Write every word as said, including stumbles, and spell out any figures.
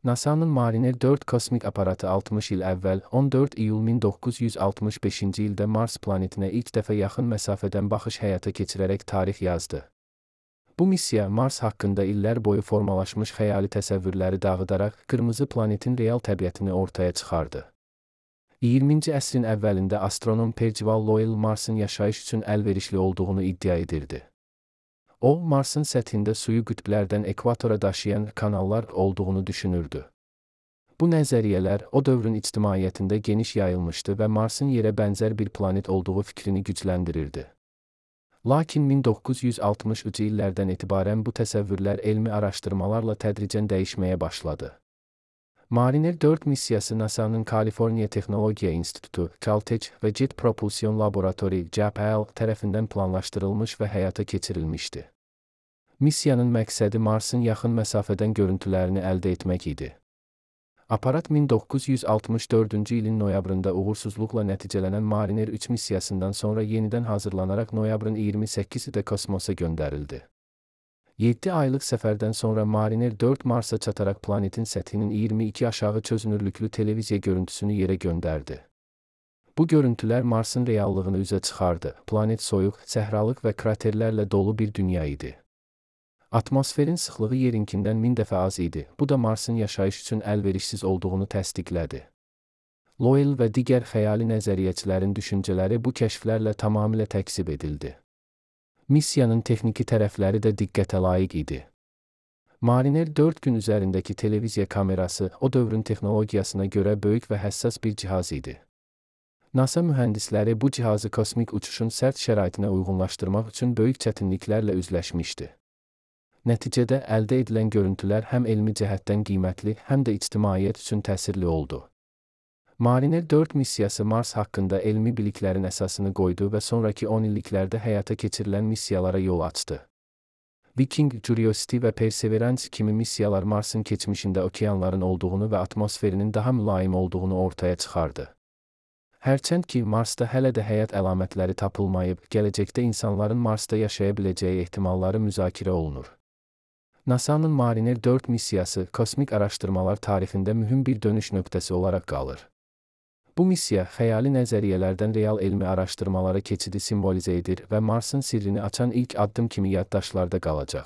NASA'nın Mariner dörd kosmik aparatı altmış il əvvəl on dörd iyul min doqquz yüz altmış beşinci ildə Mars planetinə ilk dəfə yaxın məsafədən baxış həyata keçirərək tarix yazdı. Bu missiya Mars haqqında illər boyu formalaşmış xəyali təsəvvürləri dağıdaraq qırmızı planetin real təbiətini ortaya çıxardı. iyirminci əsrin əvvəlində astronom Percival Lowell Marsın yaşayış üçün əlverişli olduğunu iddia edirdi. O, Marsın səthində suyu qütblərdən ekvatora daşıyan kanallar olduğunu düşünürdü. Bu nəzəriyyələr o dövrün ictimaiyyətində geniş yayılmışdı və Marsın yerə bənzər bir planet olduğu fikrini gücləndirirdi. Lakin min doqquz yüz altmışıncı illərdən etibarən bu təsəvvürlər elmi araşdırmalarla tədricən dəyişməyə başladı. Mariner dörd missiyası NASA'nın Kaliforniya Texnologiya İnstitutu, Caltech və Jet Propulsion Laboratory (J P L) tərəfindən planlaşdırılmış və həyata keçirilmişdi. Missiyanın məqsədi Marsın yaxın məsafədən görüntülərini əldə etmək idi. Aparat min doqquz yüz altmış dördüncü ilin noyabrında uğursuzluqla nəticələnən Mariner üç missiyasından sonra yenidən hazırlanaraq noyabrın iyirmi səkkizində kosmosa göndərildi. yeddi aylıq səfərdən sonra Mariner dörd Marsa çataraq planetin səthinin iyirmi iki aşağı çözünürlüklü televiziya görüntüsünü yerə göndərdi. Bu görüntülər Marsın reallığını üzə çıxardı. Planet soyuq, səhralıq və kraterlərlə dolu bir dünya idi. Atmosferin sıxlığı yerinkindən min dəfə az idi. Bu da Marsın yaşayış üçün əlverişsiz olduğunu təsdiqlədi. Lowell və digər xəyali nəzəriyyəçilərin düşüncələri bu kəşflərlə tamamilə təksib edildi. Missiyanın texniki tərəfləri də diqqətə layiq idi. Mariner dörd gün üzərindəki televiziya kamerası o dövrün texnologiyasına görə böyük və həssas bir cihaz idi. NASA mühəndisləri bu cihazı kosmik uçuşun sərt şəraitinə uyğunlaşdırmaq üçün böyük çətinliklərlə üzləşmişdi. Nəticədə əldə edilən görüntülər həm elmi cəhətdən qiymətli, həm də ictimaiyyət üçün təsirli oldu. Mariner dörd missiyası Mars haqqında elmi biliklərin əsasını qoydu və sonraki on illiklərdə həyata keçirilən missiyalara yol açdı. Viking, Curiosity və Perseverance kimi missiyalar Marsın keçmişində okeanların olduğunu və atmosferinin daha mülayim olduğunu ortaya çıxardı. Hərçənd ki, Marsda hələ də həyat əlamətləri tapılmayıb, gələcəkdə insanların Marsda yaşaya biləcəyi ehtimalları müzakirə olunur. NASA'nın Mariner dörd missiyası kosmik araşdırmalar tarixində mühüm bir dönüş nöqtəsi olaraq qalır. Bu missiya xəyali nəzəriyyələrdən real elmi araşdırmalara keçidi simvolizə edir və Marsın sirrini açan ilk addım kimi yaddaşlarda qalacaq.